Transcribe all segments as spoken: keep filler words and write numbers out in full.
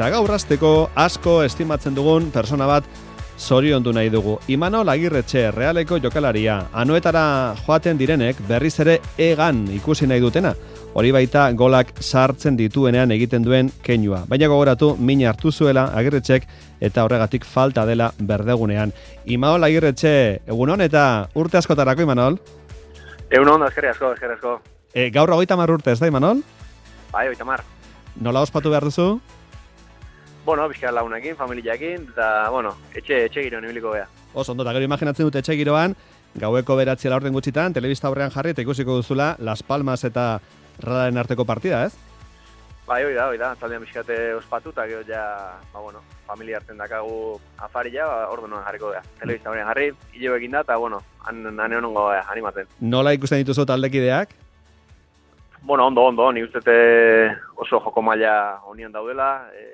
Eta gaur hasteko asko estimatzen dugun persona bat zoriondu nahi dugu. Imanol Agirretxe, Realeko jokalaria. Anoetara joaten direnek berriz ere egan ikusi nahi dutena. Hori baita golak sartzen dituenean egiten duen keinua. Baina gogoratu mina hartu zuela Agirretxek eta horregatik falta dela berdegunean. Imanol Agirretxe, egunon eta urte askotarako, Imanol? Egunon, eskerrik asko, eskerrik asko. E, gaur hogeita hamar urte, ez da, Imanol? Bai, hogeita hamar. Nola ospatu behar duzu? Bueno, bizkara lagunekin, familiakin, eta, bueno, etxe, etxe giroan ibiliko beha. Oso, ondo, eta gero imaginatzen dut etxe giroan, gaueko beratzia laurden gutxitan, telebista aurrean jarri eta ikusiko duzula Las Palmas eta Realaren arteko partida, ez? Bai, hoi da, hoi da, taldean bizkate ospatu, eta gero ja, ba, bueno, familia hartzen dakagu afari ja, ba, orduan jarriko beha. Telebista aurrean jarri, hilo egin da, eta, bueno, han, han egon ongo beha, animatzen. Nola ikusten dituzu taldekideak? Bueno, ondo, ondo, ni ustete oso joko maila honian daudela, e,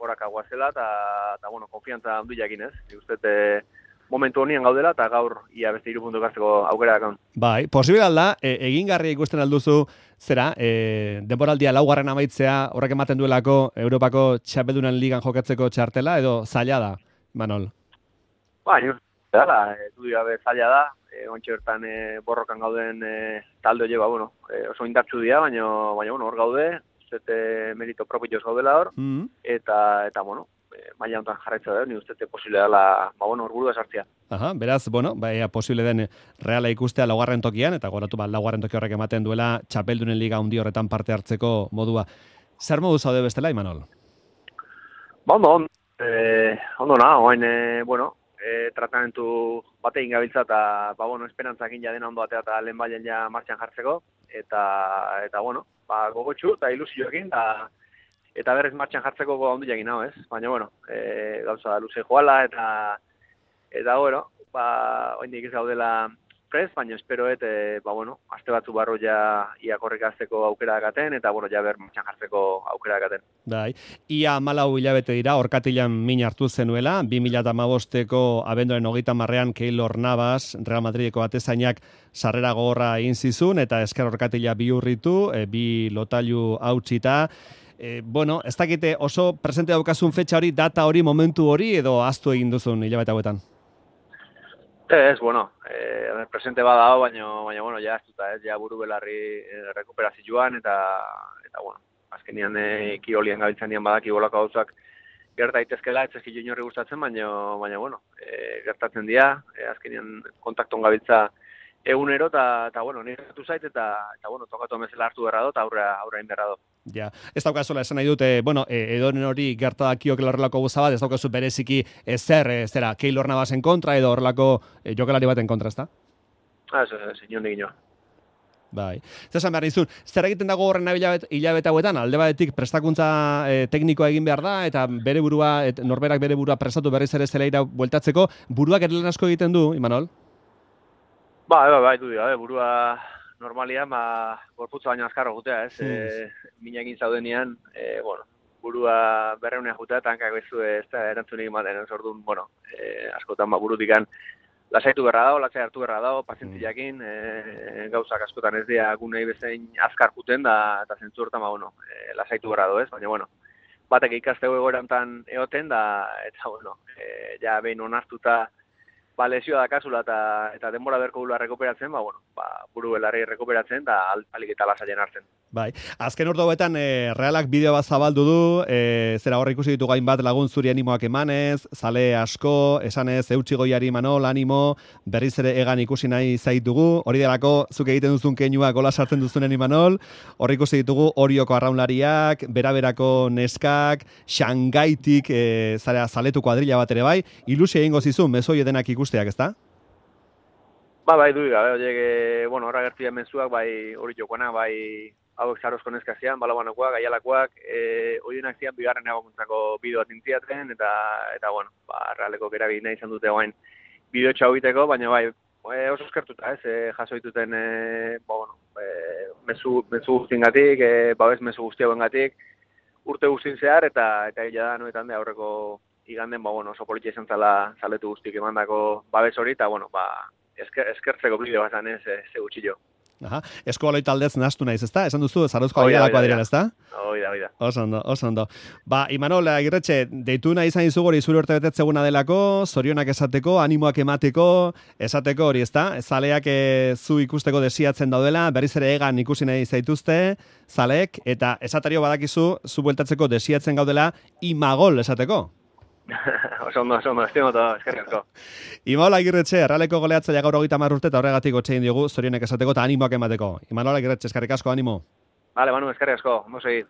horak aguazela, eta, bueno, konfiantza handu jakin ez. Ni ustete momentu honien gaudela, eta gaur ia beste hiru puntu gazteko aukera dakon. Bai, posible alda, e, egingarria ikusten alduzu, zera, e, denboraldia laugarren amaitzea, horrek ematen duelako Europako txapeldunan ligan jokatzeko txartela, edo zaila da, Manol? Ba, ni ustete dala, e, du gabe zaila da, e, ontxe bertan e, borrokan gauden e, talde hori, ba, bueno, e, oso indartsu dira, baina, baina, bueno, hor gaude, zete merito propioz gaudela hor, mm-hmm. eta, eta, bueno, e, maila honetan jarraitza da, ni ustete posible dela, ba, bueno, orguru da sartzea. Aha, beraz, bueno, baina posible den Reala ikustea laugarren tokian, eta goratu bat laugarren toki horrek ematen duela txapeldunen liga handi horretan parte hartzeko modua. Zer modu zaude bestela, Imanol? Ba, ondo, ondo, e, ondo na, oain, e, bueno, e, tratamentu batein gabiltza, eta, ba, bueno, esperantzakin ja dena ondo atea eta lehen bailen ja martxan jartzeko, eta, eta, bueno, ba, gogotxu eta ilusioekin, eta, eta berrez martxan jartzeko ondo jakin hau, ez? Baina, bueno, e, gauza luze joala, eta, eta, bueno, ba, oindik ez gaudela prez, baina espero et, e, ba, bueno, aste batzu barro ja ia korrekazteko aukera dakaten, eta, bueno, ja ber martxan jartzeko aukera dakaten. Bai, ia malau hilabete dira, orkatilan min hartu zenuela, bi mila hamabosteko abenduaren hogeita marrean Keylor Navas, Real Madrideko atezainak sarrera gogorra egin zizun, eta esker orkatila bihurritu, e, bi lotailu hautsita. E, bueno, ez dakite oso presente daukazun fetxa hori, data hori, momentu hori, edo ahaztu egin duzun hilabete hauetan? Ez, bueno, eh, presente bada hau, baina, baina, bueno, ja aztuta, ez, ja buru belarri eh, rekuperazioan, eta, eta, bueno, azkenian eh, kirolien gabiltzen dian badaki bolako gauzak gerta daitezkela, ez ezki inorri gustatzen, baina, baina, bueno, eh, gertatzen dira, eh, azkenian kontakton gabiltza egunero, eta, eta bueno, nire gertu zait, eta, eta, bueno, tokatu amezela hartu berra do, eta aurra, aurra inberra do. Ja, ez daukazuela esan nahi dute, bueno, e, edonen hori gertakiok horrelako guza bat, ez daukazu bereziki ezer, e, zera, Keylor Navasen kontra, edo horrelako e, jokalari baten kontra, ez da? Ah, ez, ez, inon egin jo. Bai. Zesan behar nizun, zer egiten dago horren hilabete, hilabete hauetan, alde batetik prestakuntza e, teknikoa egin behar da, eta bere burua, et, norberak bere burua prestatu berriz ere zelaira bueltatzeko, buruak ere asko egiten du, Imanol? Ba, bai, bai, du dira, burua normalia, ma, gorputza baino azkarro jutea, ez, hmm. e, minakin zaudenean, e, bueno, burua berreunean jutea, eta hankak bezu ez da erantzunik ematen, ez orduan, bueno, e, askotan ba, burutikan lasaitu berra dago, lasai hartu berra dago, pazientziakin, e, gauzak askotan ez dira gunei bezain azkar juten, da, eta zentzu hortan, ba, bueno, e, lasaitu berra dago, ez, baina, bueno, batek ikastego egoerantan egoten, da, eta, bueno, e, ja behin onartuta, ba, lesioa dakazula eta, eta denbora berko gula rekuperatzen, ba, bueno, ba, buru belarri rekuperatzen, eta alik eta lasaien hartzen. Bai, azken urte hauetan e, Realak bideo bat zabaldu du, e, zera hor ikusi ditu gainbat lagun zuri animoak emanez, zale asko, esanez eutxi goiari Manol, animo, berriz ere egan ikusi nahi zaitugu, hori delako zuk egiten duzun keinua gola sartzen duzunen Imanol, hor ikusi ditugu Orioko arraunlariak, beraberako neskak, Xangaitik, e, zara zaletu kuadrilla bat ere bai, ilusia egingo zizun, mezoi edenak ikusteak, ezta? Ba, bai, du gabe, horiek, bueno, horra gertu mezuak, bai, hori jokoana, bai, hauek zarozko neskazian, balabanakoak, gaialakoak, e, horienak zian bigarren ebakuntzako bideo bat intziaten, eta, eta bueno, ba, Realeko gerabi nahi izan dute guain bideo txau biteko, baina bai, e, oso eskertuta, ez, e, jaso dituten, e, ba, bueno, e, mezu, mezu guztiengatik, e, babes mezu guztiagoengatik, urte guztien zehar, eta, eta ila da, noetan de aurreko iganden, ba, bueno, oso politia izan zala zaletu guztik emandako babes hori, eta, bueno, ba, esker, eskertzeko bideo bat zanez, ze gutxillo. Aha, eskubaloi taldez nahastu naiz, ezta? Esan duzu, Zarauzko Oida, Aialakoa oida, direla, ezta? Oida, oida. Oso ondo, oso ondo. Ba, Imanol Agirretxe, deitu nahi izan izu gori zure urte betetzeguna delako, zorionak esateko, animoak emateko, esateko hori, ezta? Zaleak e, zu ikusteko desiatzen daudela, berriz ere egan ikusi nahi zaituzte, zaleek, eta esatario badakizu, zu bueltatzeko desiatzen gaudela, imagol esateko. Oso ondo, oso ondo, estimo eta eskerrik asko. Imanol Agirretxe, Errealeko goleatzaia gaur hogeita hamar urte eta horregatik gotxein diogu zorionak esateko eta animoak emateko. Imanol Agirretxe, eskerrik asko, animo. Vale, Manu, eskerrik asko, ondo segi.